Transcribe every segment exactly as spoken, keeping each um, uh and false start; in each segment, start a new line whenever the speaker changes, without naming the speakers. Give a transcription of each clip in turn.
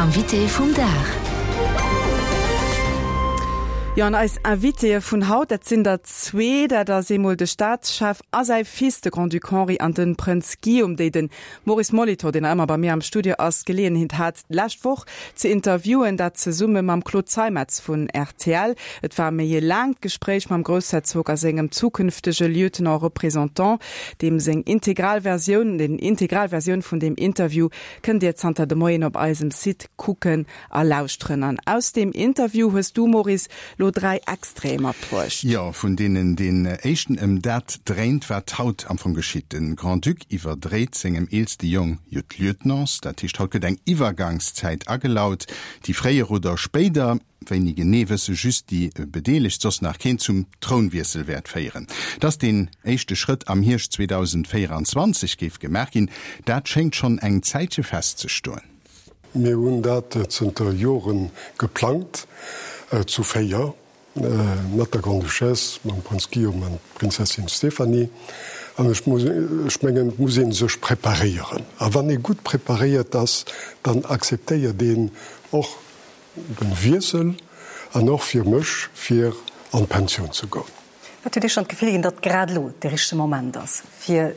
Invité vum Dag.
Jo, an eis Invitéë vun haut, dat sinn der zwee, dat ass eemol de Staatschef a säi Fils, de Grand-Duc Henri an de Prënz Guillaume, déi de Maurice Molitor, deen nach ëmmer bei mir am Studio ass, d'Geleeënheet hat, d'lescht Woch ze interviewen, dat zesumme mam Claude Zeimetz vun rtl. Et war méi e laangt Gespréich mam Groussherzog a sengem zukünftege Lieutenant représentant, deem seng integral Versioun, den integral Versioun vun deem Interview kënnt Dir zanter de Moien op eisem Site kucken a lauschteren. An aus deem Interview hues du, Maurice, lo dräi Extraite matbruecht.
Jo, vun deenen deen éischten ëm dat dréint, wat haut am Fong geschitt. De Grand-Duc iwwerdréit sengem eelste Jong jo d'Lieutenance, dat heescht, haut gëtt eng Iwwergangszäit agelaut, déi fréier oder spéider, wéini genee wësse just déi Bedeelegt, soss nach keen, zum Trounwiessel wäert féieren. Dass deen éischte Schrëtt am Hierscht zweedausendvéieranzwanzeg géif gemaach ginn, dat schéngt schonn eng Zäitche festzestoen.
Mir hunn dat zënter Jore geplangt, zu véier, mat der Grande-Duchesse, mam Prënz Guillaume an d'Prinzessin Stéphanie. An ech muss, ech mengen, et muss ee sech preparéieren. A wann ee gutt preparéiert ass, dann akzeptéiert een och de Wiessel an och fir mech, fir an d'Pensioun ze goen.
Wat huet Iech dann d'Gefill ginn, datt grad elo de richtege Moment ass, fir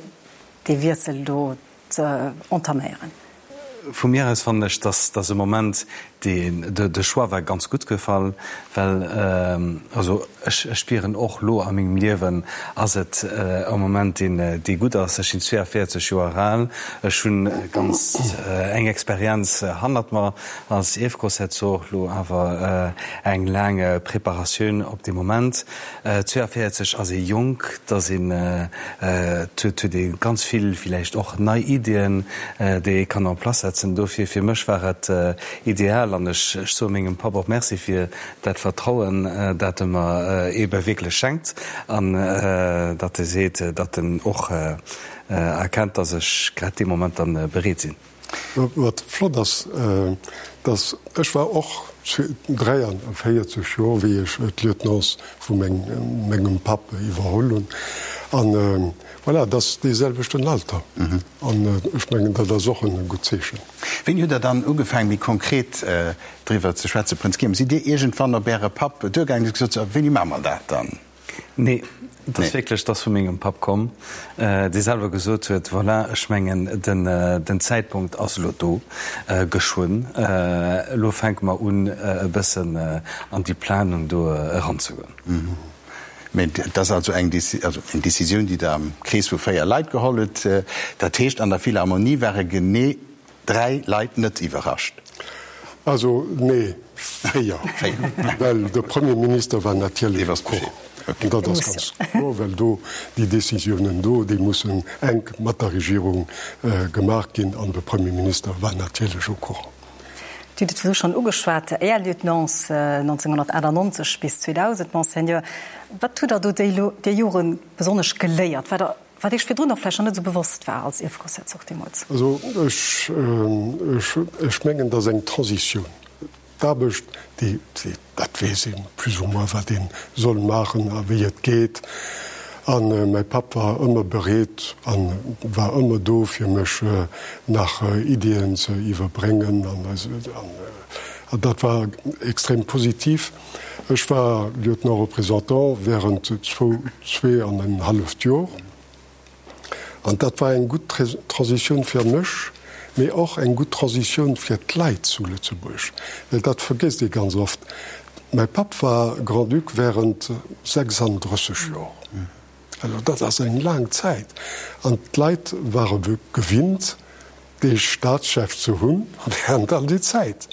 dee Wiessel do ze entaméieren?
Vu mir aus fannen ech, dass dass e Moment deen, de Choix war ganz gutt gefall, well also ech ech spieren och lo a mengem Liewen ass et e Moment deen dee gutt ass. Ech sinn zweeavéierzeg Joer al, ech hunn ganz eng Experienz hannert mer als Ierfgroussherzog, lo awer eng laang Preparatioun op dee Moment. Zweeavéierzeg ass ee jonk, et ass een, et huet huet ee ganz vill villäicht och nei Iddien, déi ee kann en place setzen. Dofir, fir mech war et ideal an ech ech soe mengem Papp och Merci fir dat Vertrauen, dat e mer eebe wierklech schenkt an datt e seet, datt en och erkennt, datt ech grad dee Moment dann bereet sinn.
Wat flott ass, dass, ech war och dräianvéierzeg Joer, wéi ech d'Lieutenance vu mengem Papp iwwerholl hunn, an voilà, et ass dee selwechten Alter, an ech mengen, dat ass och e gutt Zeechen.
Wéini hutt Der dann ugefaangen, méi konkret driwwer ze schwätzen, Prënz Guillaume? Sidd Dir iergendwann op Äre Papp duergaangen an hutt gesot, So, wéini maache mer dat dann?
Nee, et ass wierklech, et ass vu mengem Papp komm, dee selwer gesot huet, Voilà, ech mengen, den Zäitpunkt ass elo do, geschwënn, elo fänke mer un, e bëssen an déi Planung do eranzegoen.
Mä et ass also eng Decisioun, déi Der am Krees vu véier Leit geholl hutt. Dat heescht, an der Philharmonie ware genee Dräi Leit net iwwerrascht?
Also, nee, véier. Well de Premier Minister war natierlech au courant. An dat ass ganz kloer, well do déi Décisiounen do, déi mussen enk mat der Regierung gemaach ginn. An de Premier Minister war natierlech au courant.
Dir hutt et virdru schonn ugeschwat, Är Lieutenance nonzénghunnertachtannonzeg bis zweedausend, Monseigneur. Wat hutt Der do déi Jore besonnesch geléiert? Wat Der Wat Iech virdrun och vläicht nach net esou bewosst war als Ierfgroussherzog deemools?
Also ech, ech, ech mengen, dass eng Transitioun, d'Aarbecht, déi, déi, dat weess ee plus ou moins, wat ee soll maachen a wéi et geet. A mäi Papp war ëmmer bereet a war ëmmer do, fir mech nach Iddien ze iwwerbréngen an, an dat war extrem positiv. Ech war Lieutenant représentant während zwou, zwee an en halleft Jor. An dat war eng gutt Transitioun fir mech, mee och eng gutt Transitioun fir d'Leit zu Lëtzebuerg, well dat vergësst ee ganz oft. Mäi Papp war Grand-Duc während sechsanddrësseg Jor. Also dat ass eng laang Zäit. An d'Leit ware gewinnt, dee Staatschef ze hunn während all déi Zäit.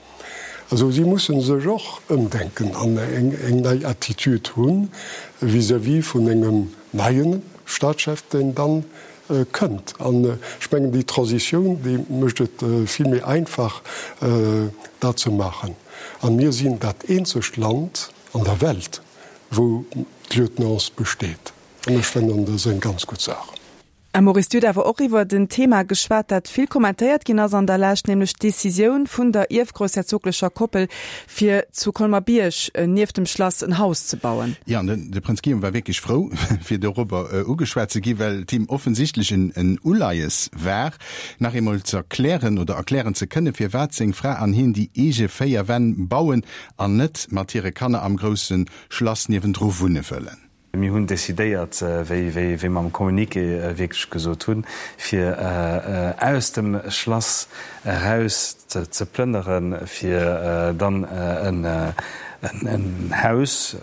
Also si musse sech och ëmdenken an eng nei Attitude hu vis-à-vis vun engem neie Staatschef, deen dann kënnt. An ech mengen, déi Transitioun, déi mécht et vill méi einfach, dat ze maachen. A mir sinn dat eenzegt Land an der Welt, wou d'Lieutenance besteet. An ech fannen, dat ass eng ganz gutt Saach.
A Maurice, Dir hutt awer och iwwert en Thema geschwat, dat vill kommentéiert ginn ass an der Lescht, nämlech d'Decisioun vun der ierfgroussherzoglecher Koppel, fir zu Colmer-Bierg nieft dem Schlass en Haus ze bauen.
Jo, an de Prënz Guillaume war wierklech frou, fir dorobber ugeschwat ze ginn, well et him offensichtlech en Uleies war, nach eemol ze erklären oder erklären ze kënnen, firwat seng Fra an hien déi eege véier Wänn bauen an net mat hire Kanner am grousse Schlass niewendru wunne wëllen.
Mir hunn decidéiert, wéi mer am Communiqué wierklech gesot hunn, fir aus dem Schlass eraus ze plënneren, fir dann en Haus, e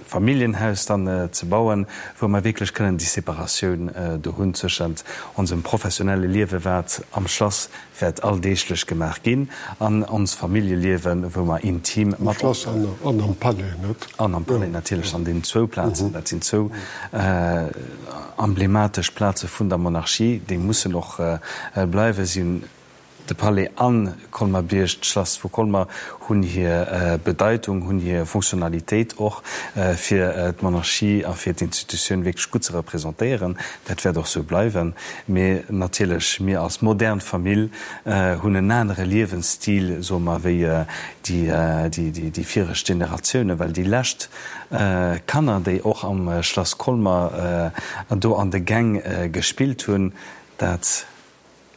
Familljenhaus dann ze bauen, wou mer wierklech kënnen déi Separatioun do hunn tëschent onsem professionelle Liewe wat am Schlass wäert alldeeglech gemaach ginn an ons Familljeliewen, wou mer intim
mat. Am Schlass an am Palais, net?
An am Palais natierlech, an deenen zwou Plazen. Dat sinn zwou emblematesch Plaze vun der Monarchie, déi mussen och bleiwen. Si hunn de Palais an Colmer-Bierg, d'Schlass vu Colmer, hunn hir Bedeitung, hunn hir Fonctionnalitéit och, fir d'Monarchie a fir d'Institutioun wierklech gutt ze representéieren. Dat wäert och sou bleiwen. Mee natierlech, mir als modern Famill hunn en anere Liewensstil, soe mer, wéi déi viregt Generatiounen, well déi lescht Kanner, déi och am Schlass Colmer do an de Gäng gespillt hunn, dat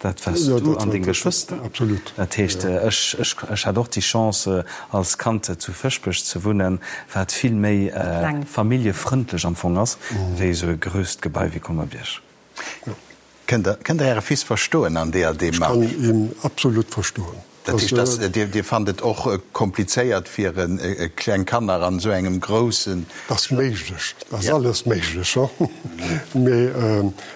Dat waars du an deng Geschwëster.
Absolut.
Dat heescht, ech, ech, ech hat och déi Chance, als Kand zu Fëschbech ze wunnen, wat vill méi familljefrëndlech am Fong ass, wéi esou e grousst Gebai wéi Colmer-Bierg.
Kënnt Der, kënnt Der Äre Fils verstoen an deeër Demarche?
Ech kann hien absolut verstoen.
Dat heescht, dass Dir, Dir fannt et och komplizéiert, fir kleng Kanner an esou engem groussen.
Dat ass méiglech, dat ass alles méiglech, mee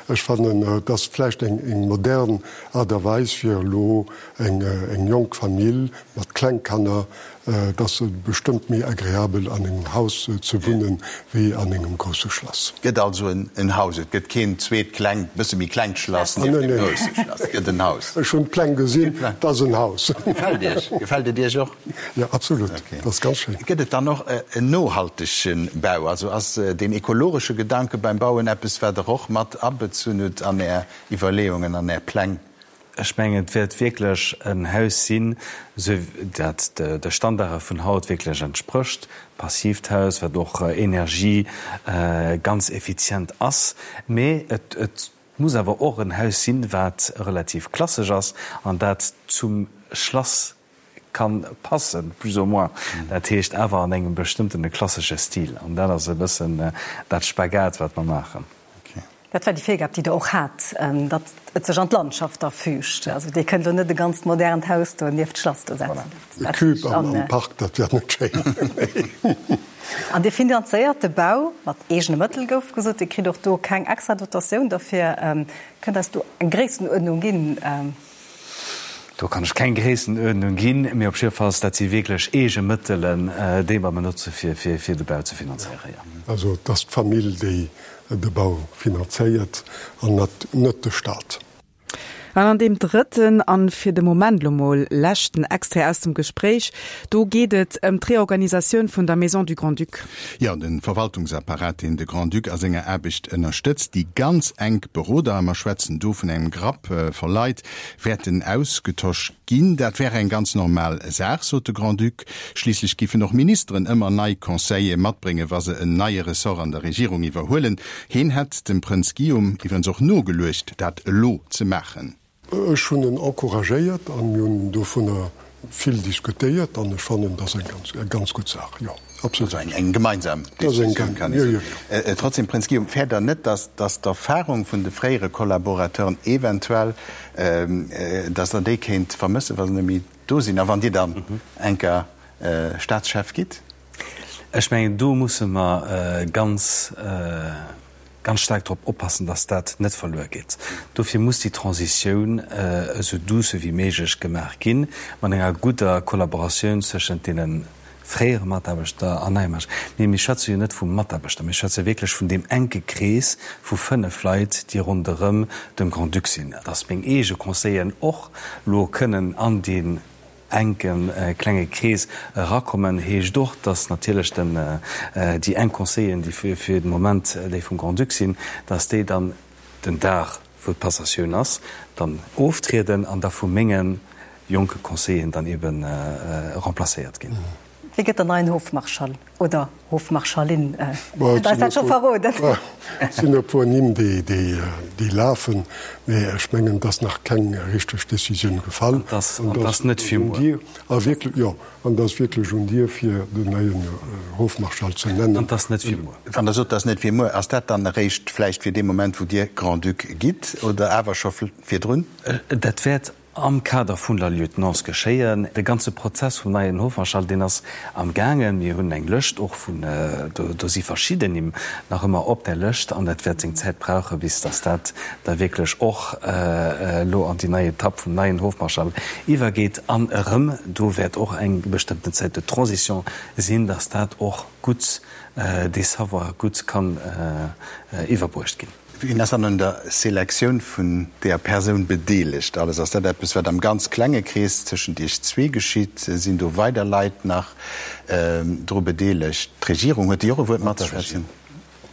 ech fannen, et ass vläicht eng modern Aart a Weis, fir elo eng jonk Famill mat kleng Kanner. Et ass bestëmmt méi agreabel an engem Haus ze wunnen, wéi an engem grousse Schlass.
Et gëtt also en Haus, et gëtt keen zweet klengt, bësse méi klengt Schlass nieft dem grousse Schlass. Et gëtt en Haus.
Ech hunn d'Pläng gesinn, et ass en Haus.
Gefält Iech? Gefält et Iech och?
Jo, absolut. Et ass ganz schéin.
Gëtt et dann och en nohaltege Bau? Also ass deen ekologesche Gedanke beim Bauen eppes, wat Der och mat abezunn hutt an Är Iwwerleeungen, an Är Pläng?
Ech mengen, et wäert wierklech en Haus sinn, esou dat de Standarde vun haut wierklech entsprécht, passiivt Haus, wat och Energie ganz effizient ass. Mee et muss awer och en Haus sinn, wat relativ klassesch ass an dat zum Schlass ka passen, plus ou moins. Dat heescht awer an engem bestëmmtene klassesche Stil. An dat ass e bëssen dat Spagat, wat mer maachen.
Dat war déi Virgab, déi Der och hat, datt et sech an d'Landschaft da füügt. Also Dir kënnt elo net e ganzt modernt Haus do nieft d'Schlass do setzen.
E Cube am Park, dat wär net schéin.
An Dir finanzéiert de Bau mat eegene Mëttel, gouf gesot. Dir kritt och do keng extra Dotatioun derfir. Kënnt Der eis do eng Gréissenuerdnung ginn?
Do kann ech keng Gréissenuerdnung ginn, mee op jiddefalls, dat si wierklech eege Mëttelen, déi mer benotze fir fir de Bau ze finanzéieren, jo.
Also et ass d'Famill, déi de Bau finanzéiert an net de Stat.
An an deem drëtten an fir de Moment lo mol leschten Extrait aus dem Gespréich, do geet et ëm d'Reorganisatioun vun der Maison du Grand-Duc.
Jo, de Verwaltungsapparat, deen de Grand-Duc a senger Aarbecht ënnerstëtzt, déi ganz enk Beroder, a mer schwätzen do vun engem Grapp vu Leit, wäerten ausgetosch ginn. Dat wär eng ganz normal Saach, sot de Grand-Duc. Schliisslech giffen och Ministeren ëmmer nei Conseiller matbréngen, wa se en neie Ressort an der Regierung iwwerhuelen. Heen hätt dem Prënz Guillaume iwwerens och nogeluecht, dat elo ze maachen.
Ech hunn en encouragéiert a mir hunn dovunner vill diskutéiert an ech fannen, dat ass eng ganz gutt Saach, jo, absolut.
Also eng gemeinsam Decisioun, kann ee soen. Trotzdem, Prënz Guillaume, fäert Der net, datt d'Erfahrung vun de fréiere Collaborateuren eventuell, datt Der déi kéint vermëssen, wa se net méi do sinn a wann Dir dann enker Staatschef gitt?
Ech mengen, do musse mer ganz, ganz staark drop oppassen, dass dat net verluer geet. Dofir muss déi Transitioun esou douce wéi méiglech gemaach ginn, mat enger gudder Kollaboratioun zwëschent deene fréiere Mataarbechter an neie Mataarbechter. Mee mir schwätze jo net vu Mataarbechter, mir schwätze wierklech vun deem enke Krees vu fënnef Leit, déi ronderëm dem Grand-Duc sinn. Dass meng eege Conseilleren och elo kënnen an deen enke klenge Krees erakommen, heescht och, dass natierlech den, déi enk Conseilleren, déi fir de Moment déi vum Grand-Duc sinn, dass déi dann den Dag wou d'Passatioun ass, dann oftrieden an da vu menge jonke Conseilleren dann eben remplacéiert ginn.
Wie gëtt den neien Hofmarschall oder Hofmarschallin? Hutt Der eis dat scho verroden?
Et sinn e puer Nimm, déi lafen, mee ech mengen, et ass nach keng richteg Decisioun gefall.
An et ass net fir muer.
A wierklech, jo, an et ass wierklech un dir, fir den neien Hofmarschall ze nennen.
An et ass net fir muer.
Wann Der sot, et ass net fir muer, ass dat dann eréischt vläicht fir dee Moment, wou Dir Grand-Duc gitt, oder awer scho virdrun?
Dat wäert am Kader vun der Lieutenance geschéien. De ganze Prozess vum neien Hofmarschall, deen ass am gaangen. Mir hunn eng Lëscht och vun, do si verschidden Nimm nach ëmmer op där Lëscht an dat wäert seng Zäit brauchen, bis datt dat da wierklech och elo an déi nei Etapp vum neien Hofmarschall iwwergeet. An erëm, do wäert och eng bestëmmten Zäit de transition sinn, datt dat och gutt, dee Savoir gutt kann iwwerbruecht ginn.
Wien ass dann un der Selektioun vun deeër Persoun bedeelegt? Alles, ass dat eppes, wat am ganz klenge Krees tëschent Iech zwee geschitt? Sinn do weider Leit nach dru bedeelegt? D'Regierung, huet déi och e Wuert matzeschwätzen?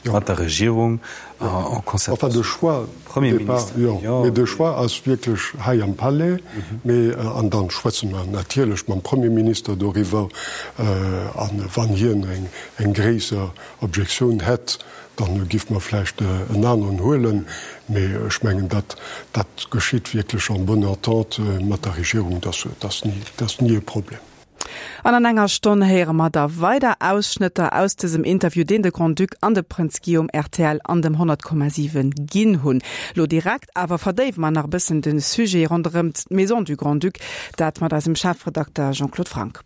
Mat der Regierung en concertation.
Enfin, de Choix,
Premier Minister,
jo, mee de Choix ass wierklech hei am Palais. Mee, an dann schwätze mer natierlech mam Premier Minister doriwwer. An wann hien eng gréisser Objektioun hätt, Dann giff mer vläicht en aneren huelen, mee ech mengen, dat dat geschitt wierklech en bonne entente mat der Regierung, dat ass ni e Problem.
An an enger Stonn héiere mer da weider Ausschnëtter aus dësem Interview, deen de Grand-Duc an de Prënz Guillaume rtl an dem honnert Komma siwen ginn hunn. Lo direkt awer verdéiwe mer nach e bëssen de Sujet ronderëm d'Maison du Grand-Duc, dat mat eisem Chefredakter Jean-Claude Franck.